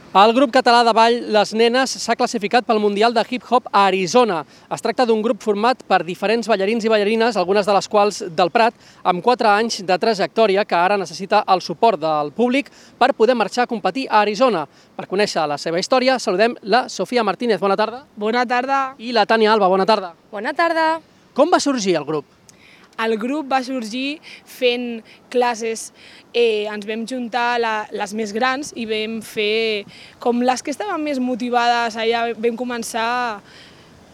El grup català de ball Les Nenes s'ha classificat pel Mundial de Hip Hop a Arizona. Es tracta d'un grup format per diferents ballarins i ballarines, algunes de les quals del Prat, amb 4 anys de trajectòria, que ara necessita el suport del públic per poder marxar a competir a Arizona. Per conèixer la seva història, saludem la Sofia Martínez. Bona tarda. Bona tarda. I la Tània Alba. Bona tarda. Bona tarda. Com va sorgir el grup? El grup va sorgir fent classes, ens vam juntar les més grans i vam fer, com les que estaven més motivades, allà vam començar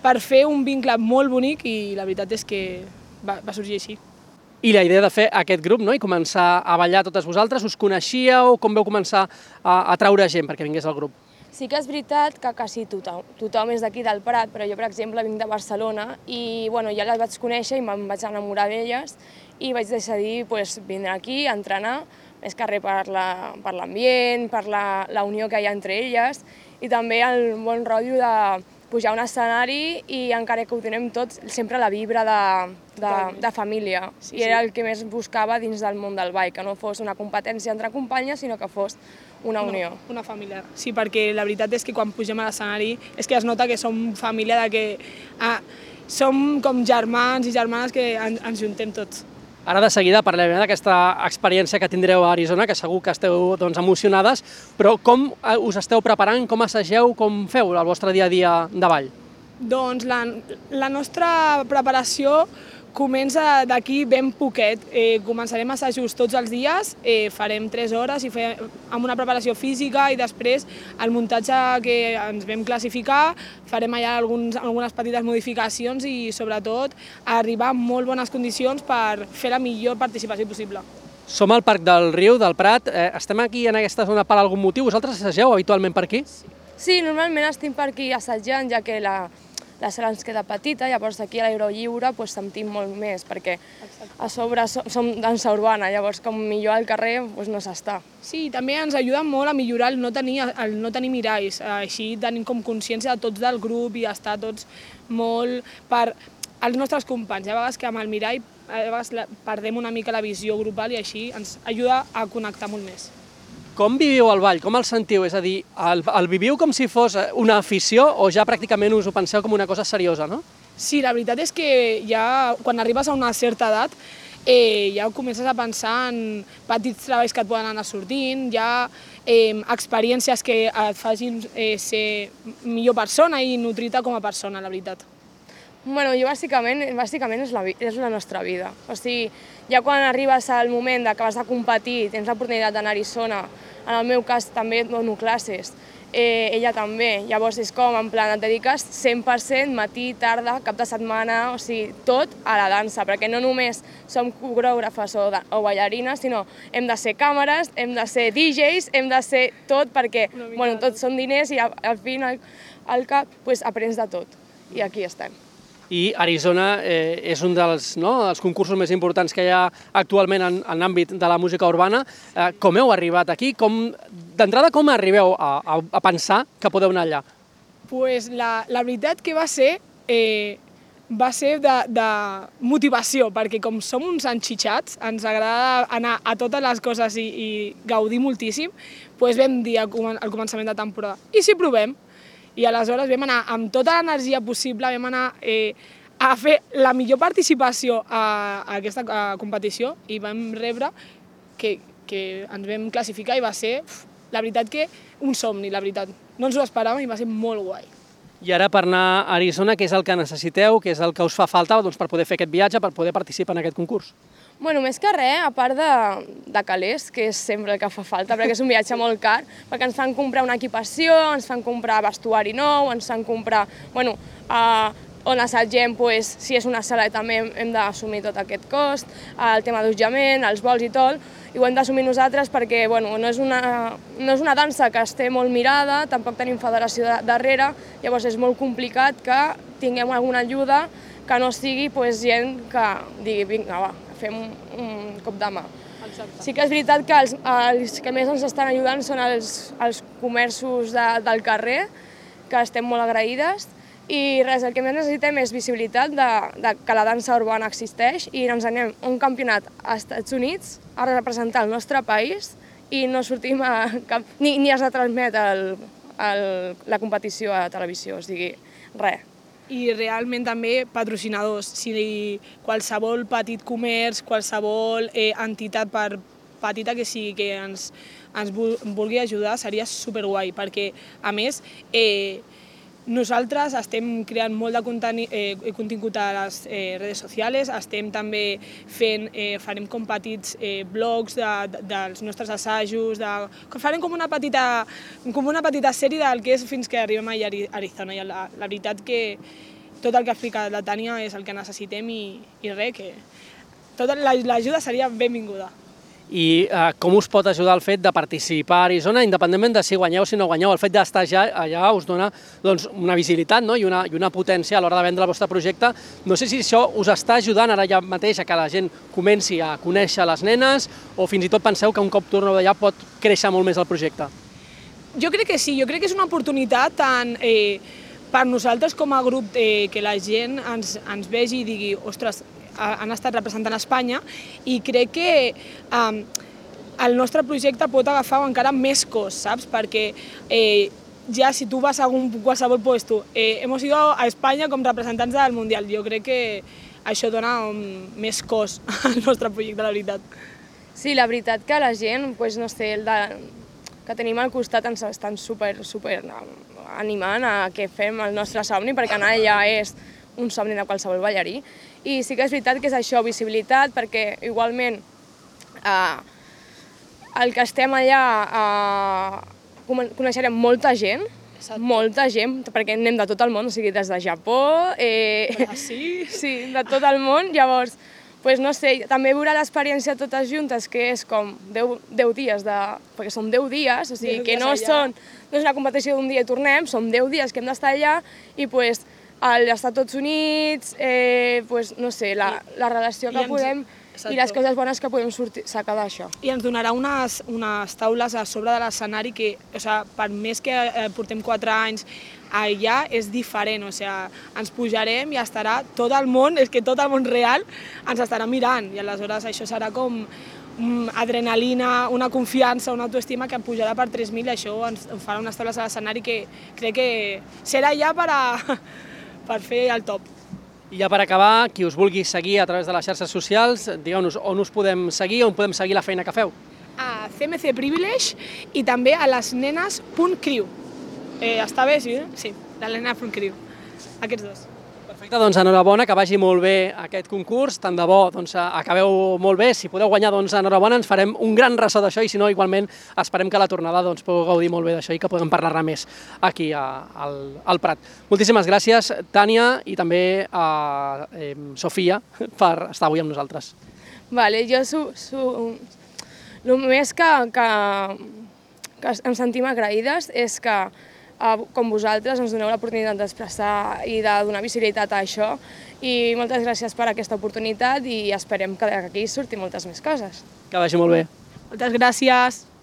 per fer un vincle molt bonic i la veritat és que va sorgir així. I la idea de fer aquest grup, no?, i començar a ballar totes vosaltres, us coneixíeu? Com vau començar a atraure gent perquè vingués al grup? Sí que és veritat que quasi tothom és d'aquí del Prat, però jo, per exemple, vinc de Barcelona i ja les vaig conèixer i me'n vaig enamorar d'elles i vaig decidir vindre aquí a entrenar, més que res per l'ambient, per la unió que hi ha entre elles i també el bon rotllo de pujar a un escenari i encara que ho tenem tots, sempre la vibra de família. I era el que més buscava dins del món del ball, que no fos una competència entre companyes, sinó que fos una unió. Una família. Sí, perquè la veritat és que quan pugem a l'escenari és que es nota que som família, que som com germans i germanes que ens juntem tots. Ara de seguida parlarem d'aquesta experiència que tindreu a Arizona, que segur que esteu emocionades, però com us esteu preparant, com assageu, com feu el vostre dia a dia de ball? Doncs la nostra preparació comença d'aquí ben poquet. Començarem assajos tots els dies, farem 3 hores i amb una preparació física i després el muntatge que ens vam classificar, farem allà algunes petites modificacions i sobretot arribar en molt bones condicions per fer la millor participació possible. Som al Parc del Riu, del Prat, estem aquí en aquesta zona per algun motiu, vosaltres assageu habitualment per aquí? Sí, normalment estem per aquí assajant, ja que la sala ens queda petita, llavors aquí a l'aire lliure sentim molt més, perquè a sobre som dansa urbana, llavors com millor al carrer no s'està. Sí, també ens ajuda molt a millorar el no tenir miralls, així tenim com consciència de tots del grup i estar tots molt per als nostres companys. Hi ha vegades que amb el mirall perdem una mica la visió grupal i així ens ajuda a connectar molt més. Com viviu el ball? Com el sentiu? És a dir, el viviu com si fos una afició o ja pràcticament us ho penseu com una cosa seriosa, no? Sí, la veritat és que ja quan arribes a una certa edat ja comences a pensar en petits treballs que et poden anar sortint, ja experiències que et facin ser millor persona i nutrir-te com a persona, la veritat. Jo bàsicament és la nostra vida. O sigui, ja quan arribes al moment que vas a competir, tens l'oportunitat d'anar a Arizona, en el meu cas també dono classes, ella també, llavors és com, en plan, et dediques 100% matí, tarda, cap de setmana, o sigui, tot a la dansa, perquè no només som coreògrafes o ballarines, sinó hem de ser càmeres, hem de ser DJs, hem de ser tot, perquè tots són diners i al final al cap aprens de tot, i aquí estem. I Arizona és un dels concursos més importants que hi ha actualment en l'àmbit de la música urbana. Com heu arribat aquí? D'entrada, com arribeu a pensar que podeu anar allà? La veritat que va ser de motivació, perquè com som uns enxitxats, ens agrada anar a totes les coses i gaudir moltíssim, vam dir al començament de temporada, i si provem? I aleshores vam anar amb tota l'energia possible, vam anar a fer la millor participació a aquesta competició i vam rebre que ens vam classificar i va ser, la veritat, que un somni, la veritat. No ens ho esperàvem i va ser molt guai. I ara per anar a Arizona, què és el que necessiteu, què és el que us fa falta per poder fer aquest viatge, per poder participar en aquest concurs? Més que res, a part de calés, que és sempre el que fa falta, perquè és un viatge molt car, perquè ens fan comprar una equipació, ens fan comprar vestuari nou, ens fan comprar, on assagem, si és una sala també hem d'assumir tot aquest cost, el tema d'allotjament, els vols i tot, i ho hem d'assumir nosaltres perquè no és una dansa que esté molt mirada, tampoc tenim federació darrere, llavors és molt complicat que tinguem alguna ajuda que no sigui gent que digui, vinga, va, fem un cop de mà. Sí que és veritat que els que més ens estan ajudant són els comerços del carrer, que estem molt agraïdes, i res, el que més necessitem és visibilitat que la dansa urbana existeix i ens anem a un campionat als Estats Units a representar el nostre país i no sortim ni es retransmet la competició a televisió, o sigui, res. I realment també patrocinadors. Si qualsevol petit comerç, qualsevol entitat, per petita que sigui, que ens vulgui ajudar, seria superguai, perquè, a més, nosaltres estem creant molt de contingut a les redes socials, estem també farem com petits blogs dels nostres assajos, farem com una petita sèrie del que és fins que arribem a Arizona. I la veritat que tot el que ha explicat la Tània és el que necessitem i res, que tota l'ajuda seria benvinguda. I com us pot ajudar el fet de participar a Arizona, independentment de si guanyeu o si no guanyeu? El fet d'estar allà us dona una visibilitat i una potència a l'hora de vendre el vostre projecte. No sé si això us està ajudant ara ja mateix a que la gent comenci a conèixer les nenes o fins i tot penseu que un cop torneu d'allà pot créixer molt més el projecte. Jo crec que sí, jo crec que és una oportunitat tant per nosaltres com a grup que la gent ens vegi i digui ostres, han estat representant Espanya i crec que el nostre projecte pot agafar encara més cos, saps? Perquè ja si tu vas a qualsevol puesto, hemos ido a Espanya com representants del Mundial. Jo crec que això dona més cos al nostre projecte, la veritat. Sí, la veritat que la gent, no sé, que tenim al costat ens estan super animant a que fem el nostre somni, perquè anar allà és un somni de qualsevol ballarí. I sí que és veritat que és això, visibilitat, perquè igualment el que estem allà coneixerem molta gent, perquè anem de tot el món, o sigui, des de Japó, sí, de tot el món. Llavors, no sé, també veure l'experiència totes juntes, que és com 10 dies, perquè són 10 dies, o sigui, que no és una competició d'un dia i tornem, són 10 dies que hem d'estar allà i als Estats Units, no sé, la relació que podem i les coses bones que podem sacar d'això. I ens donarà unes taules a sobre de l'escenari que, per més que portem 4 anys allà, és diferent. Ens pujarem i estarà tot el món, és que tot el món real ens estarà mirant i aleshores això serà com adrenalina, una confiança, una autoestima que pujarà per 3.000 i això ens farà unes taules a l'escenari que crec que serà ja per fer el top. I ja per acabar, qui us vulgui seguir a través de les xarxes socials, digueu-nos on us podem seguir, on podem seguir la feina que feu. A CMC Privilege i també a lesnenes.crew. Està bé, sí? Sí, de lesnenes.crew. Aquests dos. Perfecte, doncs enhorabona, que vagi molt bé aquest concurs, tant de bo acabeu molt bé, si podeu guanyar doncs enhorabona, ens farem un gran ressò d'això i si no igualment esperem que a la tornada pugueu gaudir molt bé d'això i que puguem parlar-ne més aquí al Prat. Moltíssimes gràcies Tània i també a Sofia per estar avui amb nosaltres. Vale, jo el més que em sentim agraïdes és que com vosaltres ens doneu l'oportunitat d'expressar i de donar visibilitat a això i moltes gràcies per aquesta oportunitat i esperem que d'aquí surtin moltes més coses. Que vagi molt bé. Moltes gràcies.